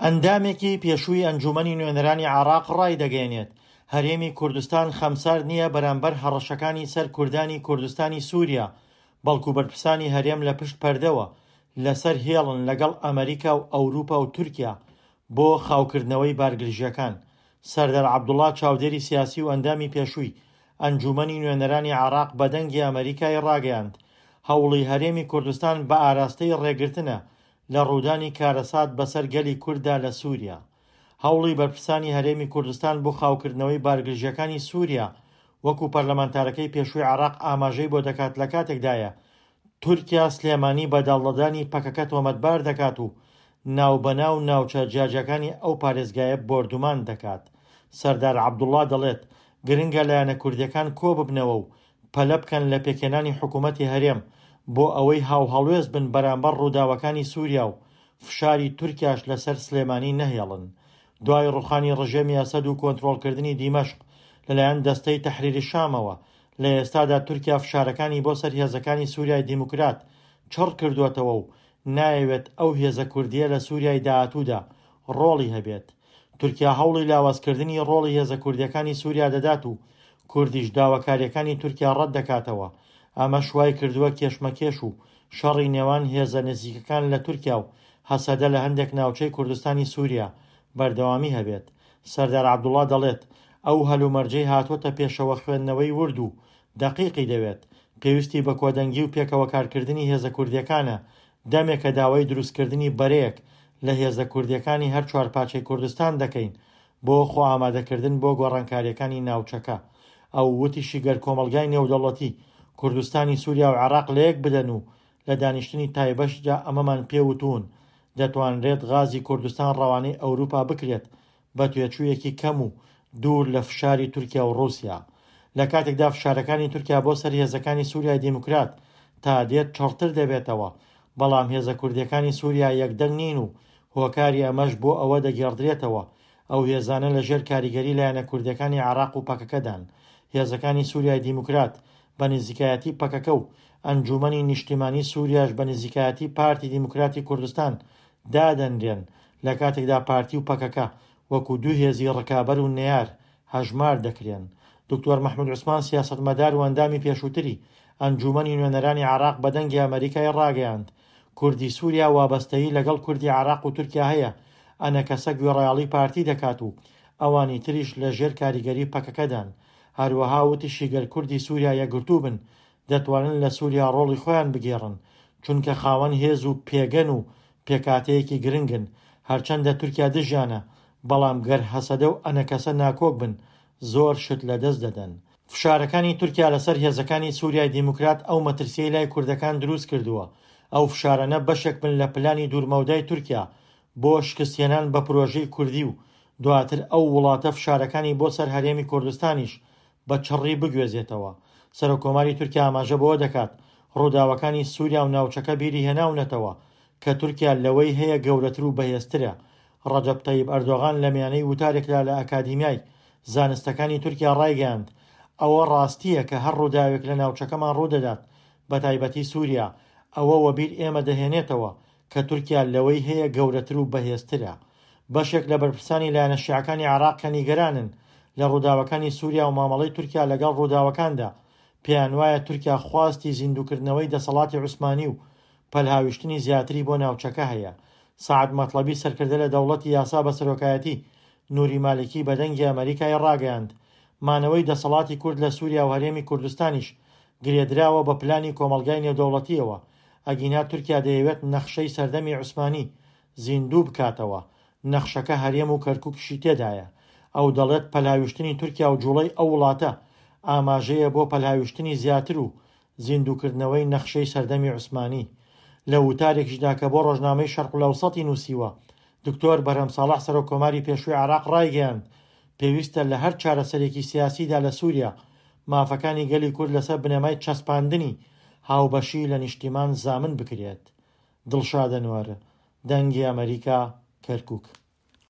ئەندامێکی پێشووی ئەنجوومەنی نوێنەرانی عێراق ڕایدەگەیەنێت، هەرێمی کوردستان خەمسارد نییە بەرامبەر هەڕەشەکانی سەر کوردانی کوردستانی سووریا، بەڵکو بەرپرسانی هەرێم لە پشت پەردەوە لەسەر هێڵن لەگەڵ ئەمەریکا و ئەوروپا و تورکیا بۆ خاوکردنەوەی بارگرژییەکان. سەردار عەبدوڵا چاودێری سیاسی و ئەندامی پێشووی ئەنجوومەنی نوێنەرانی عێراق بە دەنگی ئەمەریکای ڕاگەیاند، هەوڵی هەرێمی کوردستان بە ئاراستەی ڕێگرتنە لە ڕوودانی کارەسات بەسەر گەلی کورددا لە سووریا. هەوڵی بەرپرسانی هەرێمی کوردستان بۆ خاوکردنەوەی بارگرژییەکانی سووریا وەکو پەرلەمانتارەکەی پێشووی عێراق ئاماژەی بۆ دەکات لەکاتێکدایە تورکیا سلێمانی بە داڵدەدانی پەکەکە تۆمەتبار دەکات و ناوبەناو ناوچە جیاجیاکانی ئەو پارێزگایە بۆردومان دەکات. سەردار عەبدوڵڵا دەڵێت، گرنگە لایەنە کوردییەکان کۆببنەوە و پەلە بکەن لە پێکهێنانی حکوومەتی هەرێم بۆ ئەوەی هاوهەڵوێست بن بەرامبەر ڕووداوەکانی سووریا و فشاری تورکیاش لەسەر سلێمانی نەهێڵن. دوای ڕووخانی ڕژێمی ئەسەد و کۆنترۆڵکردنی دیمەشق لەلایەن دەستەی تەحریر شامەوە، لە ئێستادا تورکیا فشارەکانی بۆ سەر هێزەکانی سووریای دیموکرات چڕ کردووەتەوە و نایەوێت ئەو هێزە کوردییە لە سووریای داهاتوودا ڕۆڵی هەبێت. تورکیا هەوڵی لاوازکردنی ڕۆڵی هێزە کوردییەکانی سووریا دەدات و کوردیش داواکارییەکانی تورکیا ڕەت دەکاتەوە، ئەمەش وای کردووە کێشمەکێش و شەڕی نێوان هێزە نزیکەکان لە تورکیا و هەسەدە لە هەندێک ناوچەی کوردستانی سووریا بەردەوامی هەبێت. سەردار عەبدوڵا دەڵێت، ئەو هەلومەرجەی هاتووەتە پێشەوە خوێندنەوەی ورد و دەقیقی دەوێت، پێویستی بە کۆدەنگی و پێکەوە کارکردنی هێزە کوردییەکانە، دەمێکە داوای دروستکردنی بەرەیەک لە هێزە کوردییەکانی هەر چوارپارچەی کوردستان دەکەین بۆ خۆئامادەکردن بۆ گۆڕانکارییەکانی ناوچەکە. ئەو وتیشی گەر کۆمەڵگای نێودەوڵەتی، کوردستانی سوریا و عێراق لەیەک بدەن و لە دانیشتنی تایبەشدا ئەمەمان پێ وتوون، دەتوانرێت غازی کوردستان ڕەوانەی ئەوروپا بکرێت بە تێچوویەکی کەم و دوور لە فشاری تورکیا و ڕووسیا. لە کاتێکدا فشارەکانی تورکیا بۆ سەر هێزەکانی سوریای دیموکرات تا دێت چڕتر دەبێتەوە، بەڵام هێزە کوردییەکانی سوریا یەکدەنگ نین و هۆکاری ئەمەش بۆ ئەوە دەگێڕدرێتەوە ئەو هێزانە لە ژێر کاریگەری لایەنە کوردییەکانی عێراق و پەکەکەدان. هێزەکانی سوریای دیموکرات بە نزیکایەتی پەکەکە و ئەنجوومەنی نیشتیمانی سوریاش بە نزیکایەتی پارتی دیموکراتی کوردستان دادەنرێن، لە کاتێکدا پارتی و پەکەکە وەکو دوو هێزی ڕکابەر و نەیار هەژمار دەکرێن. دکتۆر مەحمود عوسمان سیاسەتمەدار و ئەندامی پێشووتری ئەنجوومەنی نوێنەرانی عێراق بە دەنگی ئەمەریکای ڕاگەیاند، کوردی سووریا وابەستەیی لەگەڵ کوردی عێراق و تورکیا هەیە، ئەنەکەسە گوێڕایەڵی پارتی دەکات و ئەوانی تریش لە ژێر کاریگەری پەکەکەدان. هەروەها وتیشی گەر کوردی سووریا یەکگرتوو بن دەتوانن لە سووریا ڕۆڵی خۆیان بگێڕن، چونکە خاوەن هێز و پێگەن و پێکهاتەیەکی گرنگن، هەرچەندە تورکیا دژیانە، بەڵام گەر هەسەدە و ئەنەکەسە ناکۆک بن زۆر شت لەدەست دەدەن. فشارەکانی تورکیا لەسەر هێزەکانی سوریای دیموکرات ئەو مەترسیەی لای کوردەکان دروست کردووە، ئەو فشارانە بەشێک بن لە پلانی دوورمەودای تورکیا بۆ شکستهێنان بە پرۆژەی کوردی و دواتر ئەو وڵاتە فشارەکانی بۆ سەر هەرێمی کوردستانیش بە چڕی بگوێزێتەوە. سەرۆککۆماری تورکیا ئاماژە بەوە دەکات، ڕووداوەکانی سووریا و ناوچەکە بیری هێناونەتەوە کە تورکیا لەوەی هەیە گەورەتر و بەهێزترە. ڕەجەب تەیب ئەردۆغان لە میانەی وتارێکدا لە ئەکادیمیای زانستەکانی تورکیا ڕایگەیاند، ئەوە ڕاستییە کە هەر ڕووداوێک لە ناوچەکەمان ڕوودەدات، بەتایبەتی سووریا، ئەوە وەبیر ئێمە دەهێنێتەوە کە تورکیا لەوەی هەیە گەورەتر و بەهێزترە. بەشێک لە بەرپرسانی لایەنە شیعەکانی عێراق کە نیگەرانن لە ڕووداوەکانی سووریا و مامەڵەی تورکیا لەگەڵ ڕووداوەکاندا، پێیانوایە تورکیا خواستی زیندووکردنەوەی دەسەڵاتی عوسمانی و پەلهاویشتنی زیاتری بۆ ناوچەکە هەیە. سەعد مەتڵەبی سەرکردە لە دەوڵەتی یاسا بە سەرۆکایەتی نوری مالکی بە دەنگی ئەمەریکای ڕاگەیاند، مانەوەی دەسەڵاتی کورد لە سووریا و هەرێمی کوردستانیش گرێدراوە بە پلانی کۆمەڵگای نێودەوڵەتییەوە، ئەگینا تورکیا دەیەوێت نەخشەی سەردەمی عوسمانی زیندوو بکاتەوە، نەخشەکە هەرێم و کەرکوکیشی تێدایە. ئەو دەڵێت پەلهاویشتنی تورکیا و جوڵەی ئەو وڵاتە ئاماژەیە بۆ پەلهاویشتنی زیاتر و زیندووکردنەوەی نەخشەی سەردەمی عوسمانی. لە وتارێکیشدا کە بۆ ڕۆژنامەی شەرقولئەوسەتی نووسیوە، دکتۆر بەرهەم ساڵح سەرۆک کۆماری پێشووی عێراق ڕایگەیاند، پێویستە لە هەر چارەسەرێکی سیاسیدا لە سووریا، مافەکانی گەلی کورد لەسەر بنەمای چەسپاندنی هاوبەشی لە نیشتیمان زامن بکرێت. دڵشاد ئەنوەر، دەنگی ئەمەریکا، کەرکوک.